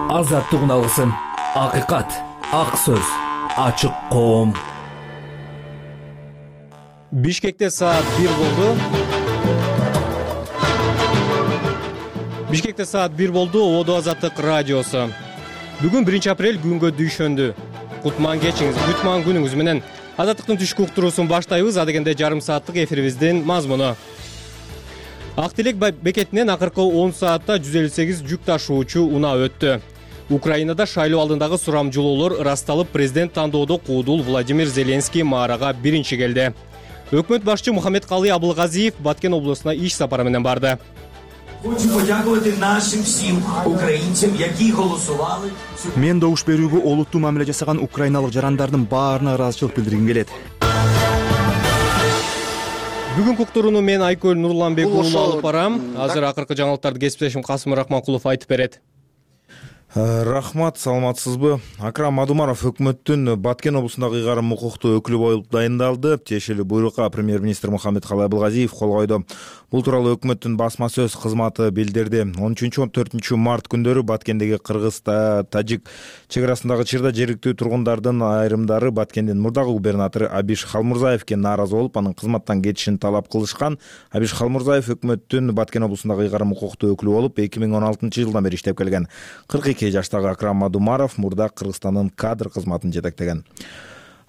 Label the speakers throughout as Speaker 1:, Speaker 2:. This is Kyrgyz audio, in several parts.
Speaker 1: Азаттык алгысын, акыйкат, ак сөз, ачык коом.
Speaker 2: Бишкекте саат 1 болду. Бишкекте саат 1 болду. Ободо Азаттык радиосу. Бүгүн 1 апрель күнгө дүйшөндү. Кутман кечиңиз, кутман күнүңүз менен Азаттыктын түшкү уктуруусун баштайбыз. Адегенде жарым сааттык эфирибиздин мазмуну. Ак Тилек бекетинен акыркы 10 саатта 158 жүк ташуучу унаа өттү. Украинада шайлоо алдындагы сурамжылоолор ырасталып, президент тандоодо куудул Владимир Зеленский маарага биринчи келди. Өкмөт башчы Мухаммедкалый Абылгазиев Баткен облусуна иш сапары менен барды.
Speaker 3: Хочу подякувати нашим всім українцям, які голосували.
Speaker 4: Мен добуш берүүгө олуттуу мамиле жасаган украиналык жарандардын баарына ыраазычылык билдиргим келет.
Speaker 2: Бүгүнкү уктурууну мен Айкөл Нурланбек уулу алып барам. Азыр акыркы жаңылыктарды кесиптешим Касым Рахманкулов айтып берет.
Speaker 5: Рахмат, саламатсызбы? Акрам Мадумаров өкмөттүн Баткен облусундагы ыйгарым укуктуу өкүлү болуп дайындалды. Тиешелүү буйрукка премьер-министр Мухаммедкалый Абылгазиев кол койду. Бул тууралуу өкмөттүн басма сөз кызматы билдирди. 13-14 март күндөрү Баткендеги кыргыз-тажик чек арасындагы чырда жергиликтүү тургундардын айрымдары Баткендин мурдагы губернатору Абиш Халмурзаевке нааразы болуп, анын кызматтан кетишин талап кылышкан. Абиш Халмурзаев өкмөттүн Баткен облусундагы ыйгарым укуктуу өкүлү болуп 2016-жылдан бери иштеп келген. 42 жаштагы Акрам Мадумаров мурда Кыргызстандын кадр кызматын жетектеген.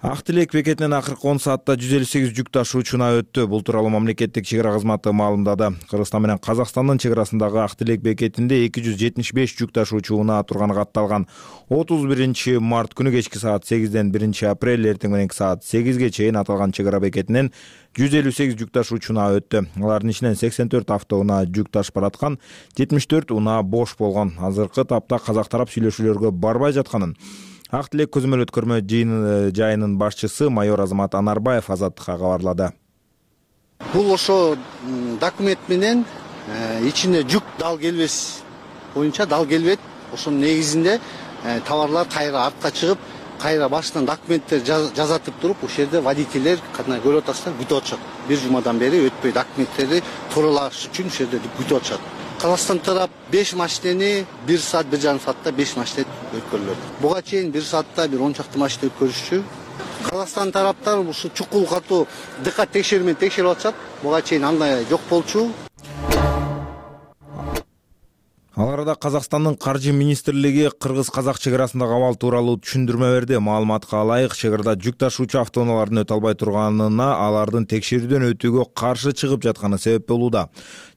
Speaker 5: Ак Тилек бекетинен акыркы 10 саатта 158 жүк ташуучу унаа өттү. Бул тууралуу мамлекеттик чек ара кызматы маалымдады. Кыргызстан менен Казакстандын чек арасындагы Ак Тилек бекетинде 275 жүк ташуучу унаа турганы катталган. 31 март күнү кечки саат 8ден 1 апрель эртең мененки саат 8ге чейин аталган чек ара бекетинен 158 жүк ташуучу унаа өттү. Алардын ичинен 84 автоунаа жүк ташып бараткан, 74 унаа бош болгон. Азыркы тапта казак тарап сүйлөшүүлөргө барбай жатканын Ак Тилек көзөмөл өткөрмө жайынын башчысы майор Азамат Анарбаев Азаттыкка кабарлады.
Speaker 6: Бул ошо документ менен ичинде жүк дал келбес боюнча дал келбейт. Ошонун негизинде товарлар кайра артка чыгып, кайра башынан документтер жазатып туруп, ошол жерде водительдер катына көрүп атасыздар, күтүп атышат. Бир жумадан бери өтпөй документтерди тууралаш үчүн ошол жерде күтүп атышат. Казакстан тарап 5 машинени 1 саат 1,5 саатта 5 машина өткөрүлөт. Буга чейин 1 саатта бир 10 чакты машина өткөрүшчү. Казакстан тараптар ушу чукул катуу дыкат текшерүүнү текшерип атышат. Буга чейин андай жок болчу.
Speaker 5: Ал арада Казакстандын каржы министрлиги кыргыз-казак чек арасындагы абал тууралуу түшүндүрмө берди. Маалыматка ылайык, чек арада жүк ташуучу автоунаалардын өтө албай турганына алардын текшерүүдөн өтүүгө каршы чыгып жатканы себеп болууда.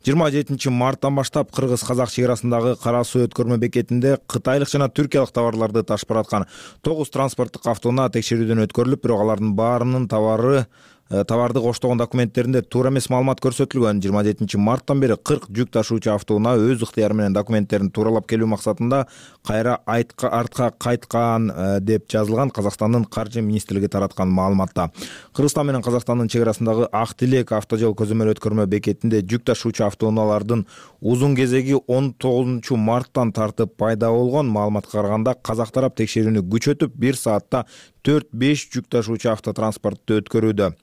Speaker 5: 27 марттан баштап кыргыз-казак чек арасындагы Кара суу өткөрмө бекетинде кытайлык жана түркиялык товарларды ташып бараткан 9 транспорттук автоунаа текшерүүдөн өткөрүлүп, бирок алардын баарынын товарды коштогон документтеринде туура эмес маалымат көрсөтүлгөн. 27 марттан бери 40 жүк ташуучу автоунаа өз ыктыяры менен документтерин тууралап келүү максатында кайра артка кайткан деп жазылган Казакстандын каржы министрлиги тараткан маалыматта. Кыргызстан менен Казакстандын чек арасындагы Ак Тилек автожол көзөмөл өткөрмө бекетинде жүк ташуучу автоунаалардын узун кезеги 19 марттан тартып пайда болгон. Маалыматка караганда казак тарап текшерүүнү күчөтүп 1 саатта 4-5 жүк ташуучу автотранспортду өткөрүүдө.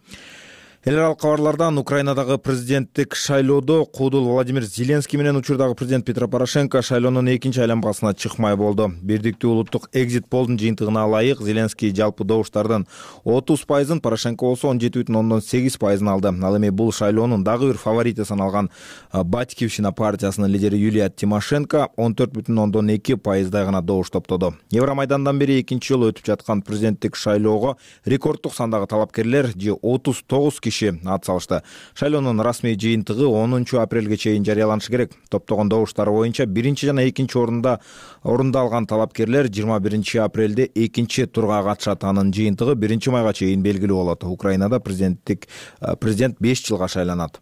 Speaker 5: Эл аралык кабарлардан Украинадагы президенттик шайлоодо куудул Владимир Зеленский менен учурдагы президент Петро Порошенко шайлоонун экинчи айланмасына чыкмай болду. Бирдиктүү улуттук экзит полдун жыйынтыгына ылайык Зеленский жалпы добуштардын 30%, Порошенко болсо 17,8% алды. Ал эми бул шайлоонун дагы бир фаворити саналган Батькивщина партиясынын лидери Юлия Тимошенко 14,2%дай гана добуш топтоду. Евромайдандан бери экинчи жолу өтүп жаткан президенттик шайлоого рекордтук сандагы талапкерлер 39 киши ат салышты. Шайлоонун расмий жыйынтыгы 10 апрелге чейин жарыяланышы керек. Топтогон добуштар боюнча биринчи жана экинчи орунда алган талапкерлер 21 апрелде экинчи турга катышат. Анын жыйынтыгы 1 майга чейин белгилүү болот. Украинада президент 5 жылга шайланат.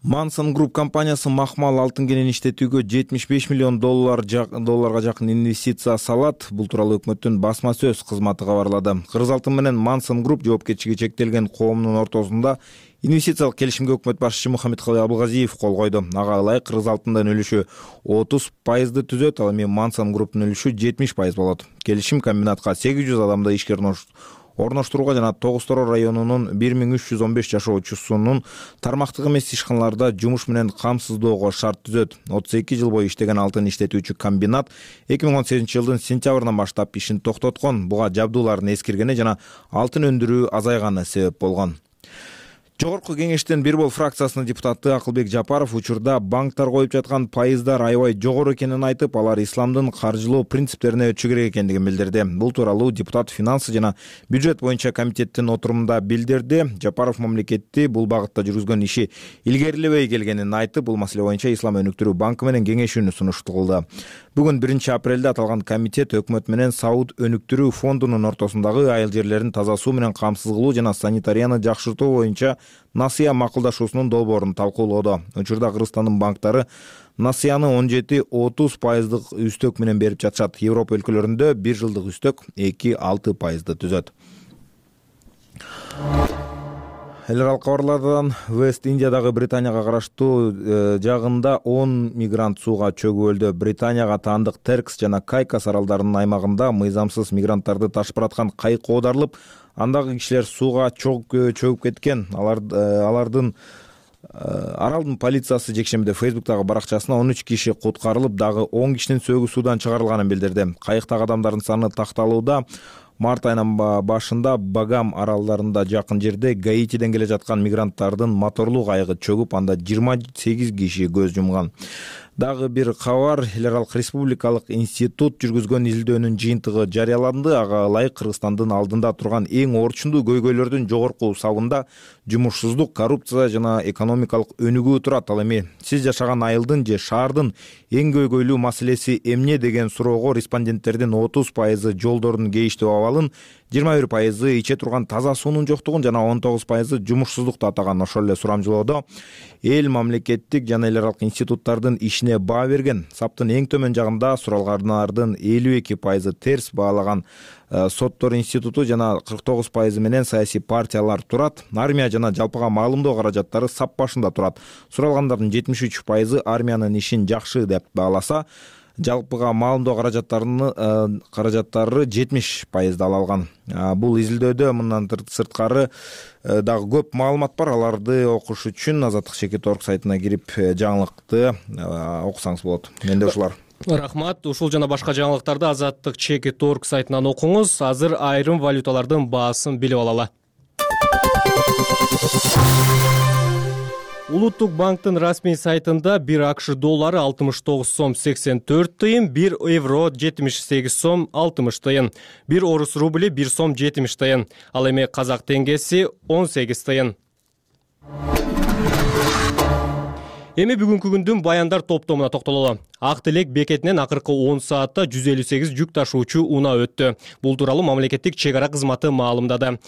Speaker 5: Manson Group компаниясы махмал алтын кенен иштетүүгө 75 миллион долларга жакын инвестиция салат. Бул тууралуу өкмөттүн басма сөз кызматы кабарлады. Кыргыз алтын менен Manson Group жоопкерчилиги чектелген коомдун ортосунда инвестициялык келишимге өкмөт башчысы Мухаммедкалый Абылгазиев кол койду. Ага ылайык Кыргыз алтындын үлүшү 30% түзөт, ал эми Manson Group'тун үлүшү 70% болот. Келишим комбинатка 800 адамды ишкер орноштурууга жана Тогуз-Тороо районунун 1315 жашоочусунун тармактык эмес ишканаларда жумуш менен камсыздоого шарт түзөт. 32 жыл бою иштеген алтын иштетүүчү комбинат 2018 жылдын сентябрынан баштап ишин токтоткон. Буга жабдуулардын эскиргени жана алтын өндүрүү азайганы себеп болгон. Жогорку кеңештин бир бол фракциясынын депутаты Акылбек Жапаров учурда банктар коюп жаткан пайыздар аябай жогору экенин айтып, алар исламдын каржылоо принциптерине өтүшү керек экендигин билдирди. Бул тууралуу депутат финансы жана бюджет боюнча комитеттин отурумунда билдирди. Жапаров мамлекетти бул багытта жүргүзгөн иши илгерилебей келгенин айтып, бул маселе боюнча Ислам өнүктүрүү банкы менен кеңешүүнү сунушту кылды. Бүгүн 1 апрелде аталган комитет өкмөт менен Сауд өнүктүрүү фондунун ортосундагы айыл жерлерин таза суу менен камсыз кылуу жана санитарияны жакшыртуу боюнча насыя макулдашуусунун долбоорун талкуулоодо. Учурда Кыргызстандын банктары насыяны 17-30% үстөк менен берип жатышат. Европа өлкөлөрүндө 1 жылдык үстөк 2-6% түзөт. Эл аралык кабарлардан Вест Индиядагы Британияга караштуу жагында 10 мигрант сууга чөгүп өлдү. Британияга таандык Теркс жана Кайкас аралдарынын аймагында мыйзамсыз мигранттарды ташып бараткан кайык оодарылып, андагы кишилер сууга чөгүп кеткен. Аралдын полициясы жекшембиде Фейсбуктагы баракчасына 13 киши куткарылып, дагы 10 кишинин сөөгү суудан чыгарылганын билдирди. Кайыктагы адамдардын саны такталууда. Март айынын башында Багам аралдарында жакын жерде Гаитиден келе жаткан мигранттардын моторлуу кайыгы чөгүп, анда 28 киши көз жумган. Дагы бир кабар, Эл аралык республикалык институт жүргүзгөн изилдөөнүн жыйынтыгы жарыяланды. Ага ылайык Кыргызстандын алдында турган эң орчундуу көйгөйлөрдүн жогорку сабында жумушсуздук, коррупция жана экономикалык өнүгүү турат. Ал эми сиз жашаган айылдын же шаардын эң көйгөйлүү маселеси эмне деген суроого респонденттердин 30% жолдордун кейиштүү абалын, 21% иче турган таза суунун жоктугун жана 19% жумушсуздукту атаган. Ошол эле сурамжылоодо эл мамлекеттик жана эл аралык институттардын ишине баа берген. Саптын эң төмөн жагында суралгандардын 52% терс баалаган соттор институту жана 49% менен саясий партиялар турат. Армия жана жалпыга маалымдоо каражаттары сап башында турат. Суралгандардын 73% армиянын ишин жакшы деп бааласа, жалпыга маалымдоо каражаттары 70% ала алган. Бул изилдөөдө мындан сырткары дагы көп маалымат бар. Аларды окуш үчүн Азаттык.org сайтына кирип жаңылыкты окусаңыз болот. Менде ушулар.
Speaker 2: Рахмат. Ушул жана башка жаңылыктарды Азаттык.org сайтынан окуңуз. Азыр айрым валюталардын баасын билип алалы. Улуттук банктын расмий сайтында 1 АКШ доллары 69 сом 84 тыйын, 1 евро 78 сом 60 тыйын, 1 орус рубли 1 сом 70 тыйын, ал эми казак теңгеси 18 тыйын. Эми бүгүнкү күндүн баяндар топтомуна токтололу. Ак Тилек бекетинен акыркы 10 саатта 158 жүк ташуучу унаа өттү. Бул тууралуу мамлекеттик чек ара кызматы маалымдады.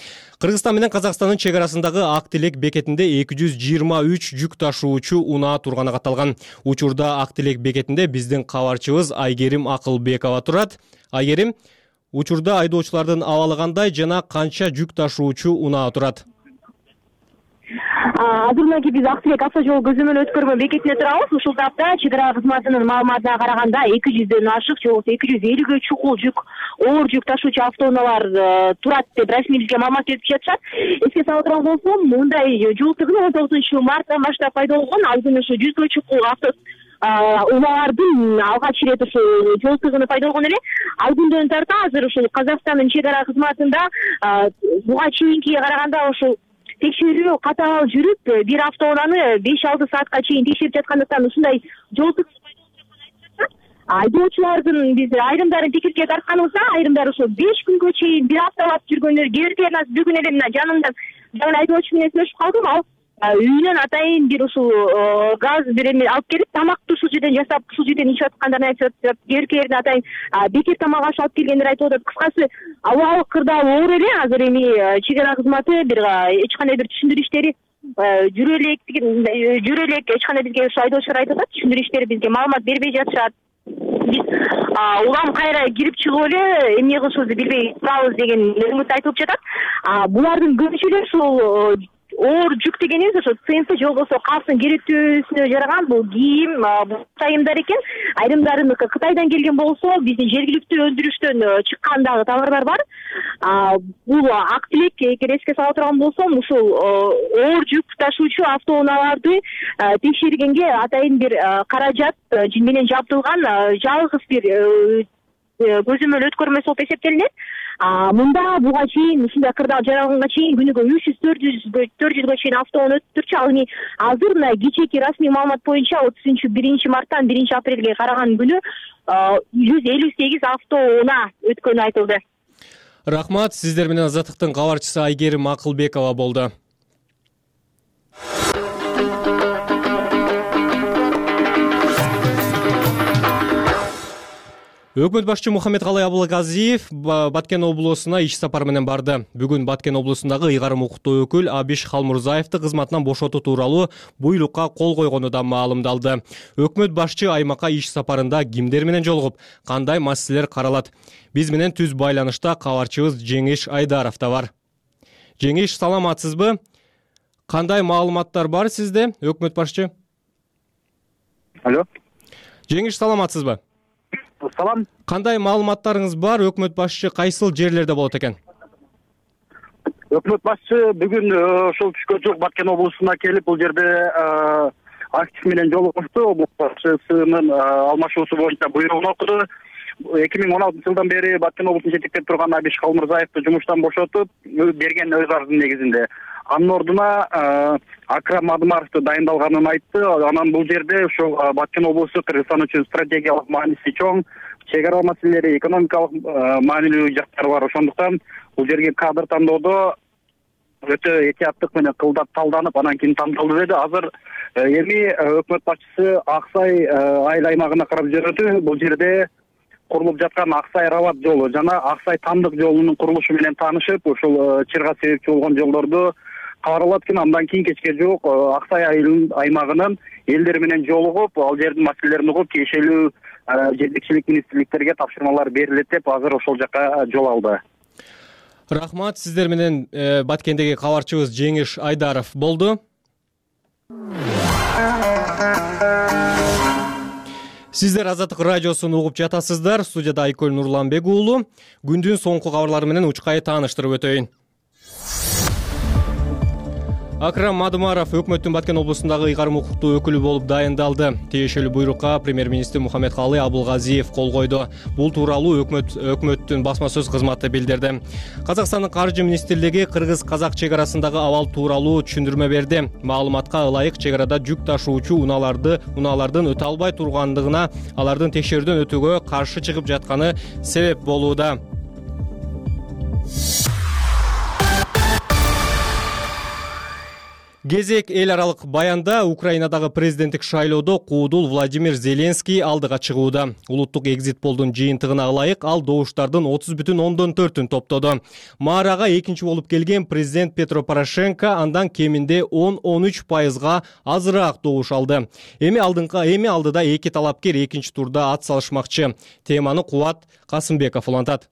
Speaker 2: Кыргызстан менен Казакстандын чек арасындагы Ак Тилек бекетинде 223 жүк ташуучу унаа турганы катталган. Учурда Ак Тилек бекетинде биздин кабарчыбыз Айгерим Акылбекова турат. Айгерим, учурда айдоочулардын абалы кандай жана канча жүк ташуучу унаа турат?
Speaker 7: Азырынки биз Ак Тилек авто жол көзөмөл өткөрмө бекетине турабыз. Ушул тапта чек ара кызматынын маалыматына караганда 200дөн ашык же болбосо 250гө чукул жүк, оор жүк ташуучу автоунаалар турат деп расмий бизге маалымат берип жатышат. Эске сала турган болсом, мындай жол тыгыны 19-марттан баштап пайда болгон. Ал күнү ушу 100гө чукул унаалардын алгач ирет ушул жол тыгыны пайда болгон эле. Ал күндөн тарта азыр ушул Казакстандын чек ара кызматында буга чейинкиге караганда ушул текшерүү катаал жүрүп, бир автоунааны 5-6 саатка чейин текшерип жаткандыктан ушундай жол айдоочулардын биз айрымдарын пикирге тартканыбызда, айрымдары ошо 5 күнгө чейин бир апталап жүргөндөр, кээ бүгүн эле мына жанымдан жаңы айдоочу менен сүйлөшүп калдым. Ал үйүнөн атайын бир ушул газ бир эме алып келип, тамакты ушул жерден жасап, ушул жерден ичип аткандарын айтып жатат. Кээ атайын бекер тамак аш алып келгендер айтып атат. Кыскасы, абалык кырдаал оор эле. Азыр эми чек ара кызматы бир эч кандай бир түшүндүрүү иштери жүрө элек эч кандай бизге ошо айдоочулар айтып атат. Түшүндүрүү иштери бизге маалымат бербей жатышат. Биз улам кайра кирип чыгып эле эмне кылышыбызды билбей турабыз деген үмүт айтылып жатат. Булардын көпчүлүгү ушул оор жүк дегенибиз ошо ЦМП же болбосо калктын керектүүсүнө жараган бул кийим, бул айымдар экен. Айрымдарыныкы Кытайдан келген болсо, биздин жергиликтүү өндүрүштөн чыккан дагы товарлар бар. Бул ак тилек, эгер эске сала турган болсом, ушул оор жүк ташуучу автоунааларды текшергенге атайын бир каражат менен жабдылган жалгыз бир көзөмөл өткөрмөсү болуп эсептелинет. Мында буга чейин ушундай кырдаал жаралганга чейин күнүгө 300-400 чейин автоунаа өтүп турчу. Ал эми азыр мына кечээки расмий маалымат боюнча 31 марттан 1 апрелге караган күнү 158 автоунаа өткөнү айтылды.
Speaker 2: Рахмат, сиздер менен Азаттыктын кабарчысы Айгерим Акылбекова болду. Өкмөт башчы Мухаммедкалый Абылгазиев Баткен облусуна иш сапар менен барды. Бүгүн Баткен облусундагы ыйгарым укуктуу өкүл Абиш Халмурзаевди кызматынан бошотуу тууралуу буйрукка кол койгону да маалымдалды. Өкмөт башчы аймакка иш сапарында кимдер менен жолугуп, кандай маселелер каралат? Биз менен түз байланышта кабарчыбыз Жеңиш Айдаров да бар. Жеңиш, саламатсызбы? Кандай маалыматтар бар сизде, өкмөт башчы?
Speaker 8: Алло.
Speaker 2: Жеңиш, саламатсызбы?
Speaker 8: Салам.
Speaker 2: Кандай маалыматтарыңыз бар? Өкмөт башчы кайсыл жерлерде болот экен?
Speaker 8: Өкмөт башчы бүгүн ошол түшкө жок Баткен облусуна келип, бул жерде актив менен жолугушту. Облус башчысынын алмашуусу боюнча буйругун окуду. 2016 жылдан бери Баткен облусун жетектеп турган Абиш Халмурзаевди жумуштан бошотуп берген өз арызынын негизинде. Анын ордуна Акрам Адымаровду дайындалганын айтты. Анан бул жерде ошо Баткен облусу Кыргызстан үчүн стратегиялык мааниси чоң, чек ара маселелери, экономикалык маанилүү жактары бар. Ошондуктан бул жерге кадр тандоодо өтө этияттык менен кылдап талданып, анан кийин тандалды деди. Азыр эми өкмөт башчысы Аксай айыл аймагына карап жүрөтү. Бул жерде курулуп жаткан Аксай Рабат жолу жана Аксай Тандык жолунун курулушу менен таанышып, ошол чырга себепчи болгон жолдорду кабарлап кийин андан кийин кечке жок Аксай айыл аймагынын элдери менен жолугуп, ал жердин маселелерин угуп, тиешелүү жетекчилик министрликтерге тапшырмалар берилет деп азыр ошол жака жол алды.
Speaker 2: Рахмат, сиздер менен Баткендеги кабарчыбыз Жеңиш Айдаров болду. Сиздер Азаттык радиосун угуп жатасыздар. Студияда Айкөл Нурланбек уулу. Күндүн соңку кабарлары менен учкай тааныштырып өтөйүн. Акрам Адымаров өкмөттүн Баткен облусундагы ыйгарым укуктуу өкүлү болуп дайындалды. Тиешелүү буйрукка премьер-министр Мухаммедкалый Абылгазиев кол койду. Бул тууралуу өкмөттүн басма сөз кызматы билдирди. Казакстандын каржы министрлиги кыргыз-казак чек арасындагы абал тууралуу түшүндүрмө берди. Маалыматка ылайык чек арада жүк ташуучу унаалардын өтө албай тургандыгына, алардын текшерүүдөн өтүүгө каршы чыгып жатканы себеп болууда. Кезек эл аралык баянда Украинадагы президенттик шайлоодо куудул Владимир Зеленский алдыга чыгууда. Улуттук экзит полдун жыйынтыгына ылайык ал добуштардын 30,4-н топтоду. Маарага экинчи болуп келген президент Петро Порошенко андан кеминде 10-13% азыраак добуш алды. Эми алдыда эки талапкер экинчи турда ат салышмакчы. Теманы Кубат Касымбеков улантат.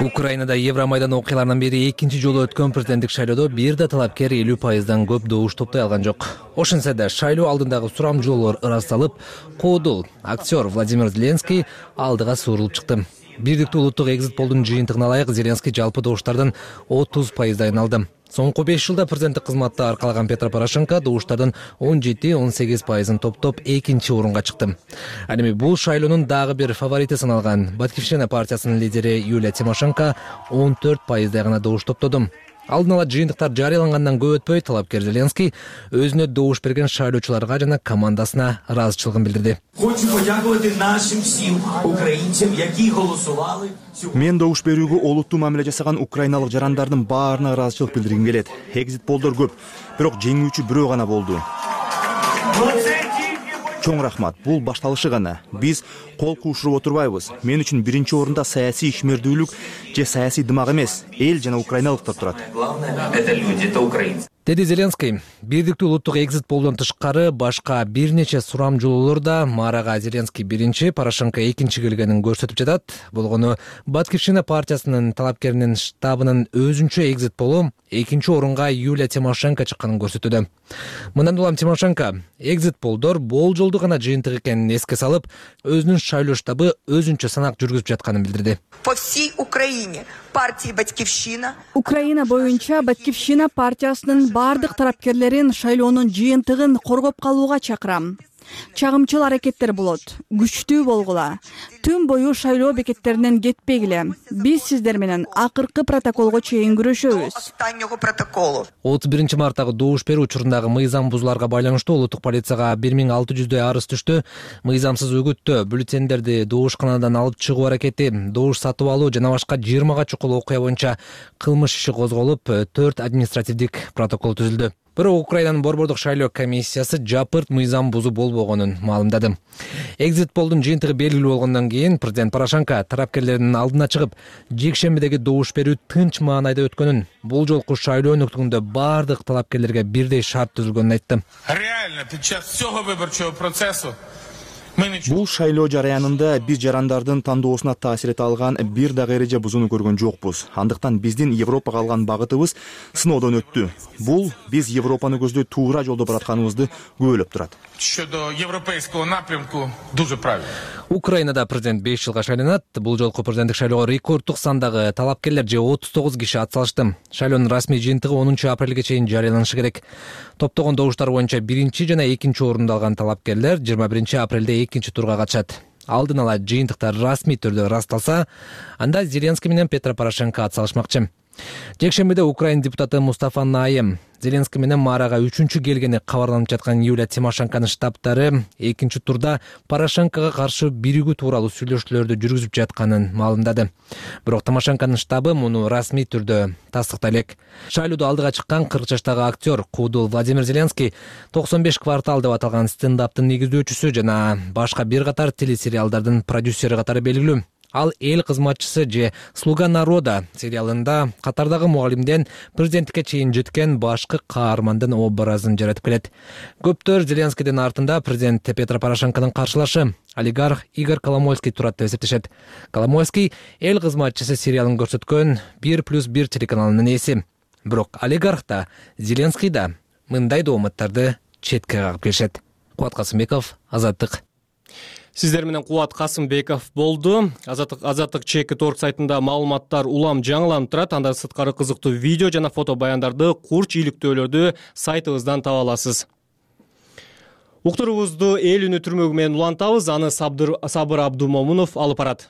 Speaker 1: Украинада Евромайдан окуяларынан бери экинчи жолу өткөн президенттик шайлоодо бир да талапкер 50%-дан көп добуш топтой алган жок. Ошентсе да шайлоо алдындагы сурамжылоолор ырасталып, куудул актер Владимир Зеленский алдыга суурулуп чыкты. Бирдиктүү улуттук экзит полдун жыйынтыгына ылайык Зеленский жалпы добуштардын 30%-ын алды. Соңку 5 жылда президенттик кызматты аркалаган Петро Порошенко добуштардын 17-18%-ын топтоп экинчи орунга чыкты. Ал эми бул шайлоонун дагы бир фаворити саналган Баткивщина партиясынын лидери Юлия Тимошенко 14%-дай гана добуш топтоду. Алдын ала жыйынтыктар жарыялангандан көп өтпөй талапкер Зеленский өзүнө добуш берген шайлоочуларга жана командасына ыраазычылыгын билдирди.
Speaker 3: Хочу подякувати нашим всім українцям, які голосували.
Speaker 4: Мен добуш берүүгө олуттуу мамиле жасаган украиналык жарандардын баарына ыраазычылык билдиргим келет. Экзит полдор көп, бирок жеңүүчү бирөө гана болду. Чоң рахмат. Бул башталышы гана. Биз кол куушуруп отурбайбыз. Мен үчүн биринчи орунда саясий ишмердүүлүк же саясий дымак эмес, эл жана украиналыктар турат.
Speaker 3: Главное, это люди, это украинцы.
Speaker 1: деди Зеленский. Бирдиктүү улуттук экзит полдон тышкары башка бир нече сурамжылоолор да Марага Зеленский биринчи, Порошенко экинчи келгенин көрсөтүп жатат. Болгону Батькивщина партиясынын талапкеринин штабынын өзүнчө экзит полу экинчи орунга Юлия Тимошенко чыкканын көрсөтүүдө. Мындан улам Тимошенко экзит полдор болжолдуу гана жыйынтык экенин эске салып, өзүнүн шайлоо штабы өзүнчө санак жүргүзүп жатканын билдирди.
Speaker 9: По всей Украине партия Батькивщина.
Speaker 10: Украина боюнча Батькивщина партиясынын бардык тарапкерлерин шайлоонун жыйынтыгын коргоп калууга чакырам. Чагымчыл аракеттер болот. Күчтүү болгула. Түн бою шайлоо бекеттеринен кетпегиле. Биз сиздер менен акыркы протоколго чейин күрөшөбүз.
Speaker 1: 31 марттагы добуш берүү учурундагы мыйзам бузууларга байланыштуу улуттук полицияга 1600 арыз түштү. Мыйзамсыз үгүттөө, бюллетендерди добушканадан алып чыгуу аракети, добуш сатып алуу жана башка 20га чукул окуя боюнча кылмыш иши козголуп, 4 административдик протокол түзүлдү. Бирок Украинанын борбордук шайлоо комиссиясы жапырт мыйзам бузуу болбогонун маалымдады. Экзит полдун жыйынтыгы белгилүү болгондон кийин президент Порошенко тарапкерлердин алдына чыгып, жекшембидеги добуш берүү тынч маанайда өткөнүн, бул жолку шайлоо өнөктүгүндө бардык талапкерлерге бирдей шарт түзүлгөнүн айтты.
Speaker 11: Реально, під час всього виборчого процесу
Speaker 4: бул шайлоо жараянында биз жарандардын тандоосуна таасир эте алган бир дагы эреже бузууну көргөн жокпуз. Андыктан биздин Европага алган багытыбыз сыноодон өттү. Бул биз Европаны көздөй туура жолдо баратканыбызды күбөлөп турат.
Speaker 11: щодо європейського напрямку дуже правильно.
Speaker 1: Украинада президент 5 жылга шайланат. Бул жолку президенттик шайлоого рекорддук сандагы талапкерлер же 39 киши атсалышты. Шайлоонун расмий жыйынтыгы 10 апрелге чейин жарыяланышы керек. Топтогон добуштар боюнча биринчи жана экинчи орунду алган талапкерлер 21 апрелде экинчи турга катышат. Алдын ала жыйынтыктар расмий түрдө ырасталса, анда Зеленский менен Петро Порошенко атсалышмакчы. Жекшембиде Украин депутаты Мустафа Найем Зеленский менен Марага 3-чү келгени кабарланып жаткан Юлия Тимошенконун штабтары экинчи турда Порошенкого каршы биригүү тууралуу сүйлөшүүлөрдү жүргүзүп жатканын маалымдады. Бирок Тимошенконун штабы муну расмий түрдө тастыктай элек. Шайлоодо алдыга чыккан 40 жаштагы актер Куудул Владимир Зеленский 95 квартал деп аталган стендаптын негиздөөчүсү жана башка бир катар телесериалдардын продюсери катары белгилүү. Ал эл кызматчысы же Слуга народа сериалында катардагы мугалимден президенттикке чейин жеткен башкы каармандын образын жаратып келет. Көптөр Зеленскийдин артында президент Петро Порошенконун каршылашы олигарх Игорь Коломойский турат деп эсептешет. Коломойский эл кызматчысы сериалын көрсөткөн 1+1 телеканалынын ээси. Бирок олигарх да, Зеленский да мындай дооматтарды четке кагып келишет. Кубат Касымбеков, Азаттык.
Speaker 2: Сиздер менен Кубат Касымбеков болду. Азаттык Чеки.org сайтында маалыматтар улам жаңыланып турат. Андан сырткары кызыктуу видео жана фото баяндарды, курч иликтөөлөрдү сайтыбыздан таба аласыз. Уктуруубузду эл үнү түрмөгү менен улантабыз. Аны Сабыр Абдумомунов алып барат.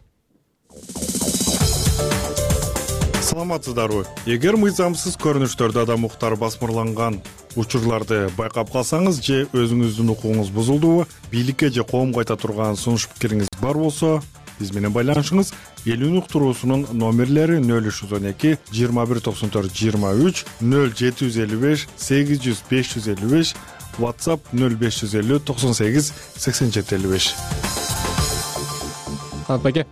Speaker 12: Саламатсыздарбы? Эгер мыйзамсыз көрүнүштөрдө адам укуктары басмырланган учурларды байкап калсаңыз же өзүңүздүн укугуңуз бузулдубу, бийликке же коомго айта турган сунуш пикириңиз бар болсо, биз менен байланышыңыз. Эл үнү уктуруусунун номерлери 0312 2194 23 0755 800 555, WhatsApp 0550 98 87 55.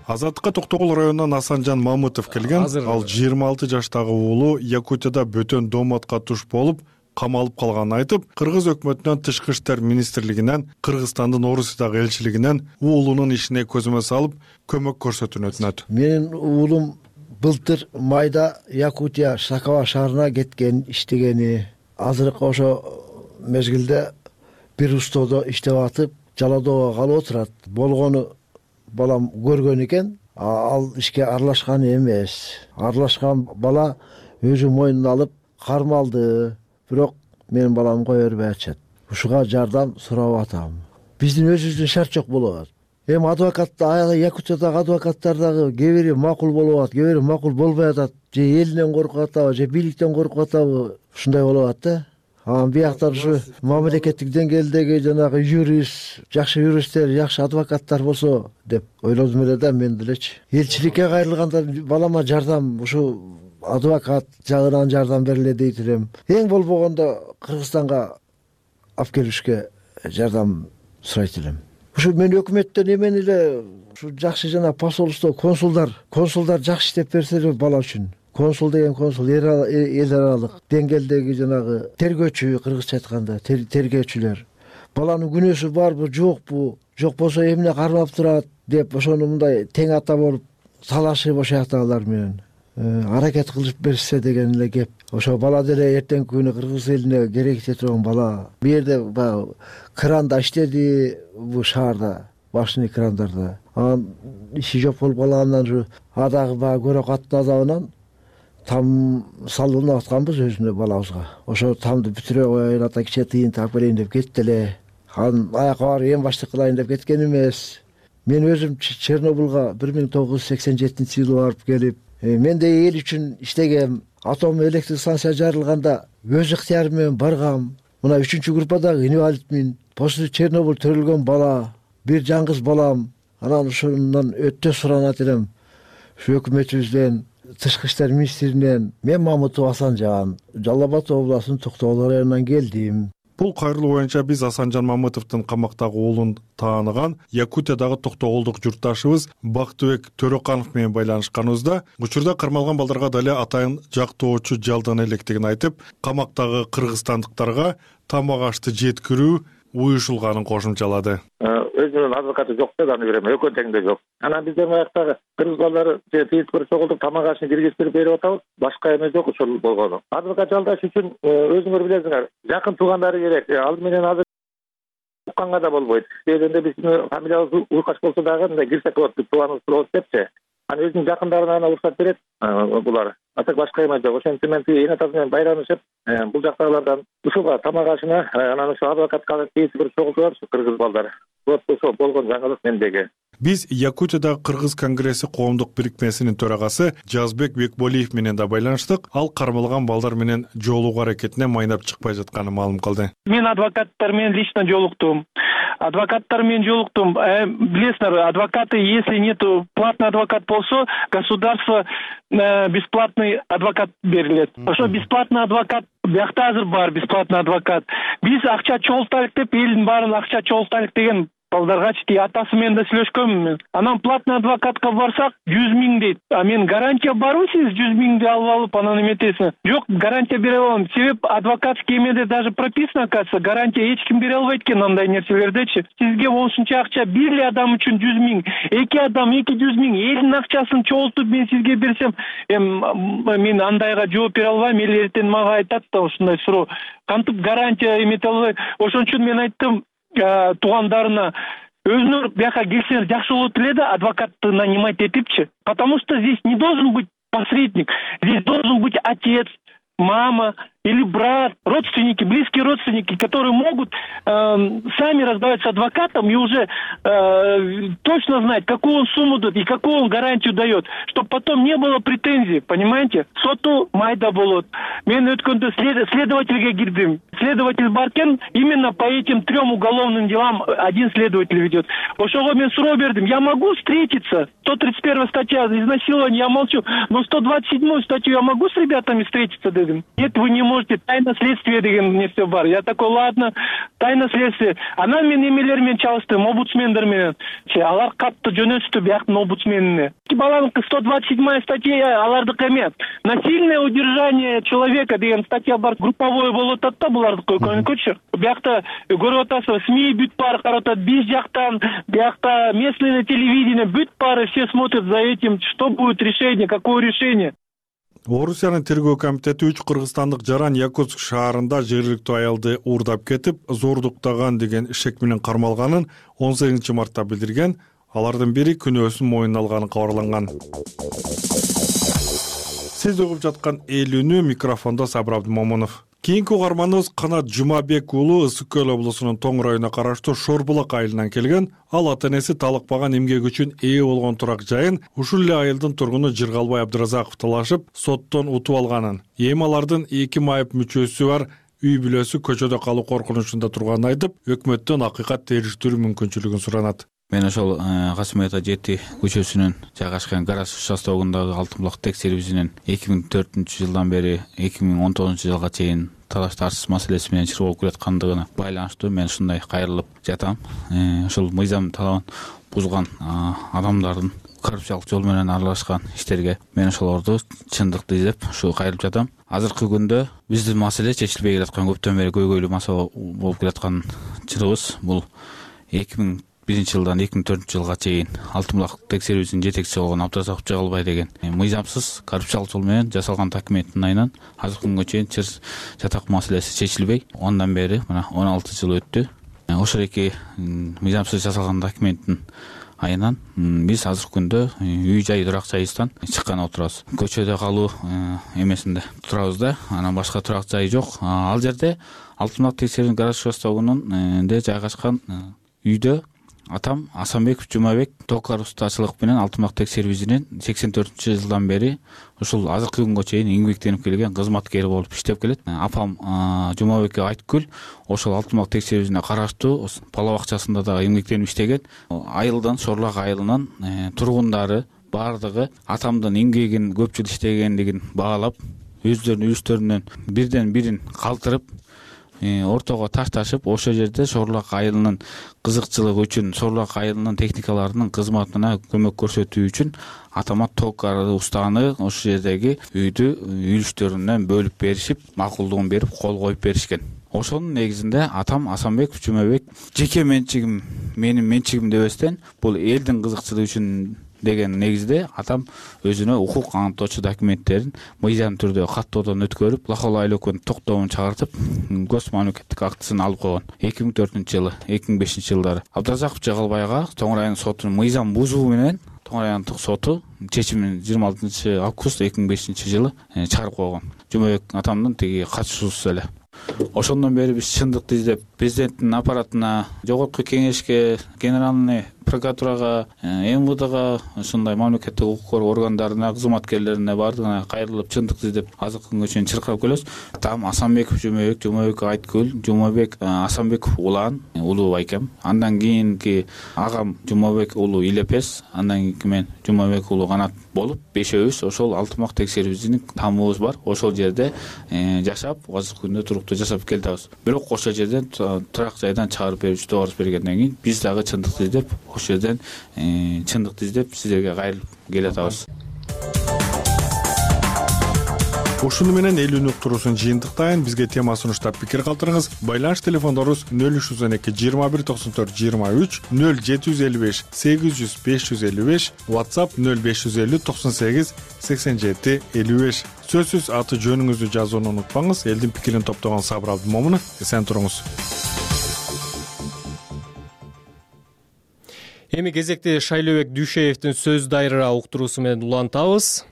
Speaker 12: Азаттыкка Токтогул районунан Асанжан Мамытов келген. Ал 26 жаштагы уулу Якутияда бөтөн домотко туш болуп камалып калганын айтып, Кыргыз өкмөтүнөн Тышкы иштер министрлигинен, Кыргызстандын Орусиядагы элчилигинен уулунун ишине көзөмө салып, көмөк көрсөтүүнү өтүнөт.
Speaker 13: Менин уулум былтыр майда Якутия Шакова шаарына кеткен, иштегени. Азыркы ошо мезгилде бир устоодо иштеп атып, Жаладоого калып отурат. Болгону балам көргөн экен, ал ишке аралашкан эмес. Аралашкан бала өзү мойнуна алып кармалды. Бирок менин балам кое бербей атышат. Ушуга жардам сурап атам. Биздин өзүбүздүн шарт жок болот. Эми адвокаттар, Якутиядагы адвокаттар дагы кээ бири макул болуп атат, кээ бири макул болбой атат. Же элинен коркуп атабы, же бийликтен коркуп атабы, ушундай болуп атат да. Бияктар ушу мамлекеттик деңгээлдеги жанагы юрист, жакшы юристтер, жакшы адвокаттар болсо деп ойлодум эле да, мен делечи. Элчиликке кайрылганда балама жардам ушу адвокат жагынан жардам бериле дейт элем. Эң болбогондо Кыргызстанга алып келишке жардам сурайт элем. Ушу мен өкмөттөн эмен эле ушу жакшы жана посолство, консулдар жакшы иштеп берсе эле бала үчүн. консул деген консул эл аралык деңгээлдеги жанагы тергөөчү, кыргызча айтканда тергөөчүлөр. Баланын күнөөсү барбы, жокпу, жок болсо эмне кармап турат деп ошону мындай тең ата болуп талашып ошояктагылар менен аракет кылып берсе деген эле кеп. Ошо бала деле эртеңки күнү кыргыз элине керектей турган бала. Бу жерде баягы кранда иштеди, бу шаарда башный крандарда. Анан иши жок болуп калгандан ушу адагы баягы көрөк аттын азабынан там салынып атканбыз өзүнө балабызга. Ошо тамды бүтүрө коеюн, ата кичине тыйын таап берейин деп кетти эле. Анан аякка барып эң баштык кылайын деп кеткен эмес. Мен өзүм Чернобылга 1987-жылы барып келип, мен да эл үчүн иштегем. Атом электр станция жарылганда өз ыктыярым менен баргам. Мына 3-группадагы инвалидмин. После Чернобыль төрөлгөн бала, бир жаңгыз балам. Анан ошондон өтө суранат элем. Ушу өкмөтүбүздөн, Тышкы иштер министринен. Мен Мамытов Асанжан, Жалал Абад областынын Токтогул районунан келдим.
Speaker 12: Бул кайрылуу боюнча биз Асанжан Мамытовдун камактагы уулун тааныган Якутиядагы токтогулдук журтташыбыз Бактыбек Төрөканов менен байланышканыбызда учурда кармалган балдарга дале атайын жактоочу жалдана электигин айтып, камактагы кыргызстандыктарга тамак ашты жеткирүү уюшулганын кошумчалады.
Speaker 14: Өзүнүн адвокаты жок деп аны берем, экөө теңде жок. Анан биздер аяктагы кыргыз балдары тиешпир чогултуп тамак ашын киргизип берип атабыз. Башка эме жок ошол болгону. Адвокат жалдаш үчүн өзүңөр билесиңер, жакын туугандары керек. Ал менен азыр укканга да болбойт. Себебинде биздин фамилиябыз Уйкаш болсо дагы мындай кирсек болот, тууганыбыз болот депчи. Анан өзүнүн жакындарына уруксат берет булар. Атак башка эме жок. Ошентип мен эне атасы менен байрамышып, бул жактагылардан ушуга тамак ашына анан ошо адвокатка тиешпир чогултуп кыргыз балдар. Вот ошо болгон жаңылык мендеги.
Speaker 12: Биз Якутиядагы Кыргыз конгресси коомдук бирикмесинин төрагасы Жазбек Бекболиев менен да байланыштык. Ал кармалган балдар менен жолугуу аракетине майнап чыкпай жатканын маалым кылды.
Speaker 15: Мен адвокаттар менен лично жолуктум. Билесиңер, адвокаты, если нету платный адвокат болсо, государство бесплатный адвокат берилет. Ошо бесплатный адвокат биякта азыр бар, бесплатный адвокат. Биз акча чогултайлык деп, элдин баарын акча чогултайлык деген балдаргачы атасы менен да сүйлөшкөнмүн. Анан платный адвокатка барсак 100 000 дейт. А мен гарантия барбы сиз 100 000 алып алып анан эметесиң? Жок, гарантия бере алам. Себеп адвокатский эмеде даже прописано, кажется, гарантия эч ким бере албайт экен андай нерселердечи. Сизге ошонча акча бир эле адам үчүн 100 000, эки адам 200 000, элдин акчасын чогултуп мен сизге берсем, мен андайга жооп бере албайм. Эл эртең мага айтат да ушундай суроо. Кантип гарантия эмете албай? Ошон үчүн мен айттым туугандарына, өзүңөр бияка келсеңер жакшы болот эле да, адвокатты нанимать этипчи. Потому что здесь не должен быть посредник, здесь должен быть отец, мама или брат, родственники, близкие родственники, которые могут сами разговаривать с адвокатом и уже точно знать, какую он сумму дает и какую он гарантию дает, чтобы потом не было претензий, понимаете? Соту майда болот. Мен өткөндө следовательге кирдим. Следователь баркен, именно по этим 3 уголовным делам один следователь ведет. Ошого мен суроо бердим. Я могу встретиться? 131 статья изнасилования, я молчу. Но 127 статью я могу с ребятами встретиться, дедим? Нет, вы не можете. Тайна следствия деген нерсе бар. Я такой, ладно, тайна следствия. Анан мен эмелер менен чалыштым, омбудсмендер менен. Алар катты жөнөттү бияктын омбудсменине. Баланын 127 статья алардык эме. Насильное удержание человека деген статья бар. Групповой болуп атат да булардыкы көйкөчү. Биякта көрүп атасыз, СМИ бүт баары карап атат. Биз жактан, биякта местное телевидение бүт баары все смотрят за этим, что будет решение, какое решение.
Speaker 12: Орусиянын тергөө комитети 3 кыргызстандык жаран Якутск шаарында жергиликтүү аялды уурдап кетип, зордуктаган деген шек менен кармалганын 18 мартта билдирген. Алардын бири күнөөсүн мойнуна алганы кабарланган. Сиз угуп жаткан Эл үнү, микрофондо Сабыр Абдымомунов. Кийинки угарманыбыз Канат Жумабек уулу Ысык Көл облусунун Тоң районуна караштуу Шорбулак айылынан келген. Ал ата-энеси талыкпаган эмгек үчүн ээ болгон турак жайын ушул эле айылдын тургуну Жыргалбай Абдыразаков талашып, соттон утуп алганын. Эми алардын 2 майып мүчөсү бар үй бүлөсү көчөдө калуу коркунучунда турганын айтып, өкмөттөн акыйкат териштирүү мүмкүнчүлүгүн суранат.
Speaker 16: Мен ошол Касым Ата 7 көчөсүнүн жайгашкан гараж участогундагы алтын булак текшерүүсүнөн 2004-жылдан бери 2019-жылга чейин талаш тартыш маселеси менен чыр болуп келаткандыгына байланыштуу мен ушундай кайрылып жатам. Ошол мыйзам талабын бузган адамдардын коррупциялык жол менен аралашкан иштерге мен ошолорду чындыкты издеп ушу кайрылып жатам. Азыркы күндө биздин маселе чечилбей келаткан, көптөн бери көйгөйлүү маселе болуп келаткан чырыбыз бул 2001-жылдан 2004 жылга чейин алтын булак текшерүүсүнүн жетекчиси болгон Абдыразаков Жагалбай деген мыйзамсыз коррупциялык жол менен жасалган документтин айынан азыркы күнгө чейин чыр жатак маселеси чечилбей, андан бери мына 16 жыл өттү. Ошол эки мыйзамсыз жасалган документтин айынан биз азыркы күндө үй жай турак жайыбыздан чыккан отурабыз. Көчөдө калуу эмесинде турабыз да, анан башка турак жай жок. Ал жерде алтын булак текшерүүнүн гараж участогунун жайгашкан үйдө атам Асанбеков Жумабек токар устачылык менен алтын булак текшерүүсүнүн 84-жылдан бери ушул азыркы күнгө чейин эмгектенип келген кызматкери болуп иштеп келет. Апам Жумабек Айткүл ошол алтын булак текшерүүсүнө караштуу бала бакчасында дагы эмгектенип иштеген. Айылдан, Шорлак айылынын тургундары бардыгы атамдын эмгегин көп жыл иштегендигин баалап, өздөрүнүн үлүштөрүнөн бирден бирин калтырып, ортого ташташып, ошол жерде Шорлак айылынын кызыкчылыгы үчүн, Шорлак айылынын техникаларынын кызматына көмөк көрсөтүү үчүн атама токар устаны ошол жердеги үйдү үлүштөрүнөн бөлүп беришип, макулдугун берип, кол коюп беришкен. Ошонун негизинде атам Асанбеков Жумабек жеке менчигим, менин менчигим дебестен, бул элдин кызыкчылыгы үчүн деген негизде атам өзүнө укук аныктоочу документтерин мыйзам түрдө каттоодон өткөрүп, Лахол айлөкөнүн токтомун чыгартып, гос мамлекеттик актысын алып койгон. 2004-жылы, 2005-жылдары Абдыразаков Жагалбайга Тоң район сотунун мыйзам бузуу менен Тоң райондук соту чечимин 26 август 2005-жылы чыгарып койгон. Жумабек атамдын тиги катышуусуз эле. Ошондон бери биз чындыкты издеп, президенттин аппаратына, жогорку кеңешке, генеральный прокуратурага, МВДга, ушундай мамлекеттик укук коргоо органдарына, кызматкерлерине бардыгына кайрылып чындыкты издеп азыркы күнгө чейин чыркап келебиз. Там Асанбеков Жумабек, Жумабек Айткүл, Жумабек Асанбеков улан, улуу байкем. Андан кийинки агам Жумабек улуу Илепес, андан кийин мен Жумабек улуу Канат болуп, бешөөбүз ошол алтын булак текшерүүсүнүн тамыбыз бар. Ошол жерде жашап, азыркы күндө туруктуу жашап келдибиз. Бирок ошол жерден турак жайдан чыгарып берүүчү добуш бергенден кийин биз дагы чындыкты издеп, ошол жерден чындыкты издеп сиздерге кайрылып келатабыз.
Speaker 12: Ушуну менен элүүнү уктуруусун жыйынтыктайын. Бизге тема сунуштап пикир калтырыңыз. Байланыш телефондорубуз 0312 21 94 23, 0755 800 555, WhatsApp 0550 98 87 55. Сөзсүз аты жөнүңүздү жазууну унутпаңыз. Элдин пикирин топтогон Сабыр Абдымомунов. Эсен туруңуз.
Speaker 2: Эми кезекте Шайлообек Дүйшеевдин сөз дайрыра уктуруусу менен улантабыз.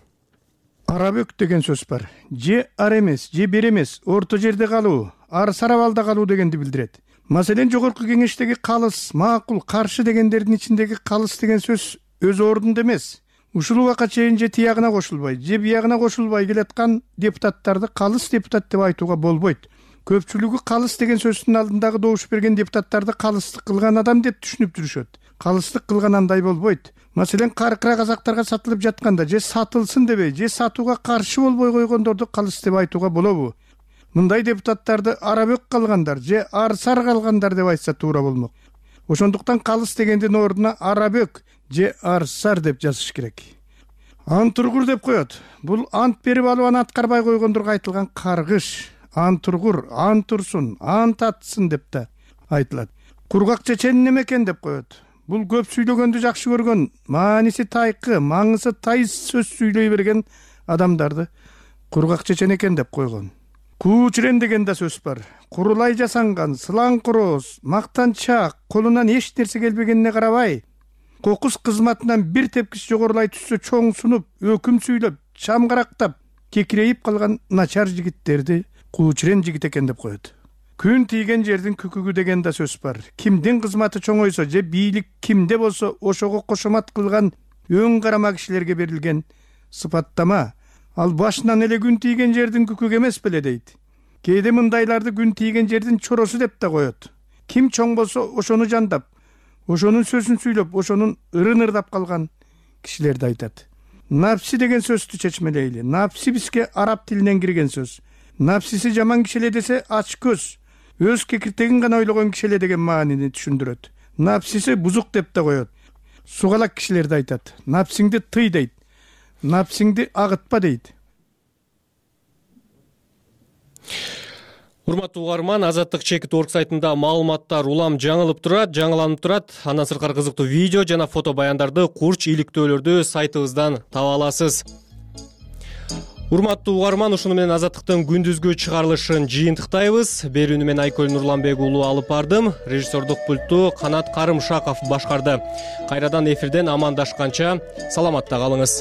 Speaker 17: Арабөк деген сөз бар. Же ар эмес, же бер эмес, орто жерде калуу, ар сарабалда калуу дегенди билдирет. Маселен, жогорку кеңештеги калыс, макул, каршы дегендердин ичиндеги калыс деген сөз өз ордунда эмес. Ушул убакка чейин же тиягына кошулбай, же биягына кошулбай келаткан депутаттарды калыс депутат деп айтууга болбойт. Көпчүлүгү калыс деген сөздүн алдындагы добуш берген депутаттарды калыстык кылган адам деп түшүнүп жүрүшөт. Калыстык кылган андай болбойт. Маселен, каркыра казактарга сатылып жатканда же сатылсын дебей, же сатууга каршы болбой койгондорду калыс деп айтууга болобу? Мындай депутаттарды арабөк калгандар же арсар калгандар деп айтса туура болмок. Ошондуктан калыс дегендин ордуна арабөк же арсар деп жазыш керек. Антургур деп коет. Бул ант берип алып аны аткарбай койгондорго айтылган каргыш. Антургур, антурсун, ант атсын деп да айтылат. Кургак чечен неме экен деп коет. Бул көп сүйлөгөндү жакшы көргөн, мааниси тайкы, маңызы тайыз сөз сүйлөй берген адамдарды кургак чечен экен деп койгон. Куучирен деген да сөз бар. Курулай жасанган, сылаң короз, мактанчак, колунан эч нерсе келбегенине карабай, кокус кызматынан бир тепкич жогорулай түшсө чоң сунуп, өкүм сүйлөп, чамгарактап, кекирейип калган начар жигиттерди куучирен жигит экен деп коет. Күн тийген жердин күкүгү деген да сөз бар. Кимдин кызматы чоңойсо же бийлик кимде болсо ошого кошомат кылган өң карама кишилерге берилген сыпаттама. Ал башынан эле күн тийген жердин күкүгү эмес беле дейт. Кээде мындайларды күн тийген жердин чоросу деп да коет. Ким чоң болсо ошону жандап, ошонун сөзүн сүйлөп, ошонун ырын ырдап калган кишилерди айтат. Напси деген сөздү чечмелейли. Напси бизге араб тилинен кирген сөз. Напсиси жаман кишиле десе ач көз, өз кекиртегин гана ойлогон кишиле деген маанини түшүндүрөт. Напсиси бузук деп да коет. сугалак кишилер да айтат. Напсиңди тый дейт. Напсиңди агытпа дейт.
Speaker 2: Урматтуу угарман, Азаттык Чекит.org сайтында маалыматтар улам жаңыланып турат. Андан сырткары кызыктуу видео жана фото баяндарды, курч иликтөөлөрдү сайтыбыздан таба аласыз. Урматтуу угарман, ушуну менен Азаттыктын күндүзгү чыгарылышын жыйынтыктайбыз. Берүүнү мен Айкөл Нурланбек уулу алып бардым. Режиссердук пультту Канат Карымшаков башкарды. Кайрадан эфирден амандашканча саламатта калыңыз.